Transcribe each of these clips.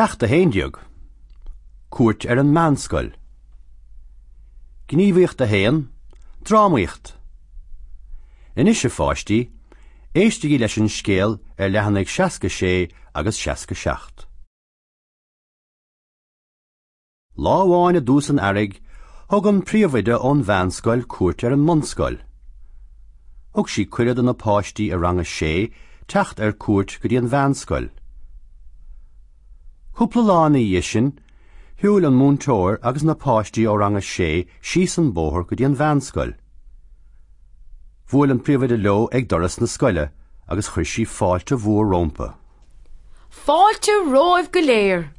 Ceacht 11. Cuairt ar an Meánscoil. Gníomhaíocht 1, Drámaíocht. Anois, a pháistí, éistigí leis an scéal ar leathanaigh 66 agus 67. Lá amháin i dtús an earraigh, thug an príomhoide ón mheánscoil cuairt ar an mbunscoil. Thug sí cuireadh do na páistí i rang a sé teacht ar cuairt go dtí an mheánscoil. Cúpla lá ina dhiaidh sin, shiúil an múinteoir agus na páistí ó rang a sé síos an bóthar go dtí an mheánscoil. Bhuail an príomhoide leo ag doras na scoile agus chuir sí fáilte mhór rompu. Fáilte romhaibh go léir!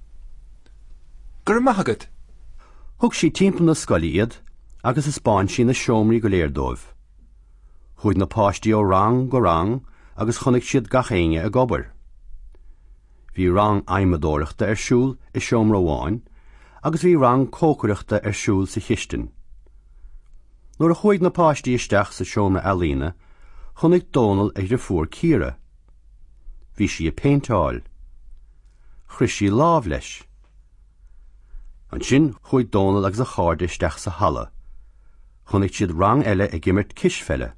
Go raibh maith agat! Thug sí timpeall na scoile iad agus thaispeáin sí na seomraí go léir dóibh. Chuaigh na páistí ó rang go rang agus chonaic siad gach éinne ag obair. Bhí rang adhmadóireachta ar siúl i seomra amháin agus bhí rang cócaireachta ar siúl sa chistin. Nuair a chuaigh na páistí isteach sa seomra ealaíne, chonaic Dónal a dhriofúr Ciara. Bhí sí ag péinteáil. Chroith sí lámh leis. Ansin chuaigh Dónal agus a chairde isteach sa halla. Chonaic siad rang eile ag imirt cispheile.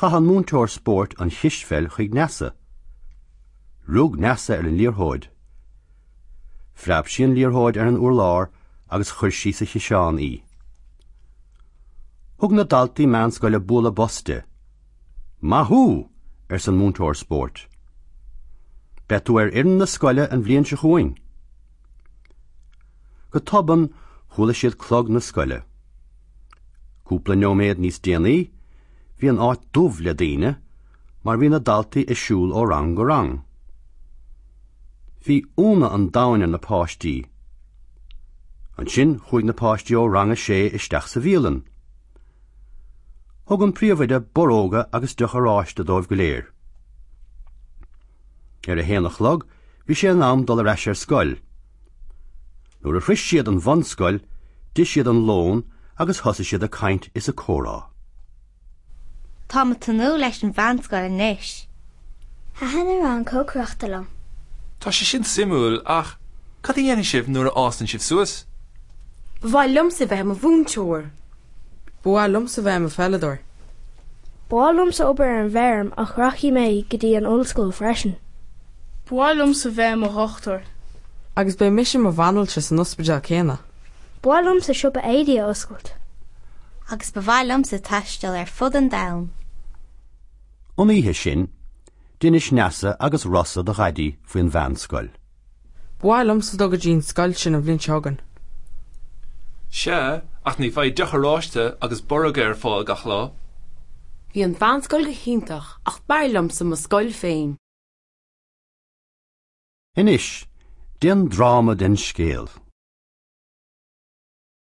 Chaith an múinteoir spóirt an chispheil chuig Neasa. Rug Neasa ar an liathróid. Phreab sí an liathróid ar an urlár agus chuir sí sa chiseán í. Thug na daltaí meánscoile bualadh bos di. Maith thú! arsa an múinteoir spóirt. Beidh tú ar fhoireann na scoile an bhliain seo chugainn. Go tobann chuala siad clog na scoile. Cúpla nóiméad níos déanaí bhí an áit dubh le daoine mar bhí na daltaí ag siúl ó rang go rang. Bhí ionadh an domhain ar na páistí. Ansin chuaigh na páistí ó rang a sé isteach sa bhialann. Thug an príomhoide borróga agus deoch oráiste dóibh go léir. Ar a haon a chlog bhí sé in am dul ar ais ar scoil. Nuair a shroich siad an bhunscoil d'ith siad an lón agus thosaigh siad ag caint is ag comhrá. Táim ag tnúth leis an mheánscoil anois. Thaitin an rang cócaireachta liom. Tá sé sin suimiúil ach cad a dhéanfaidh sibh nuair a fhásann sibh suas? Ba mhaith liomsa bheith i mo mhúinteoir. Ba mhaith liomsa bheith i mo pheileadóir. Ba mhaith liomsa obair ar an bhfeirm ach rachaidh mé go dtí an ollscoil freisin. Ba mhaith liomsa bheith i mo dhochtúir. Agus beidh mise i mo bhanaltra san ospidéal céanna. Ba mhaith liomsa siopa éadaí a oscailt. Agus ba mhaith liomsa taisteal ar fud an domhain. An oíche sin, d'inis Neasa agus Rossa do Dhaidí faoin mheánscoil. Ba mhaith liomsa dul go dtí an scoil sin an bhliain seo chugainn. Sea, ach ní bheidh deoch oráiste agus borróga ar fáil gach lá. Bhí an mheánscoil go hiontach ach b'fhearr liomsa mo scoil féin. Anois, déan dráma den scéal.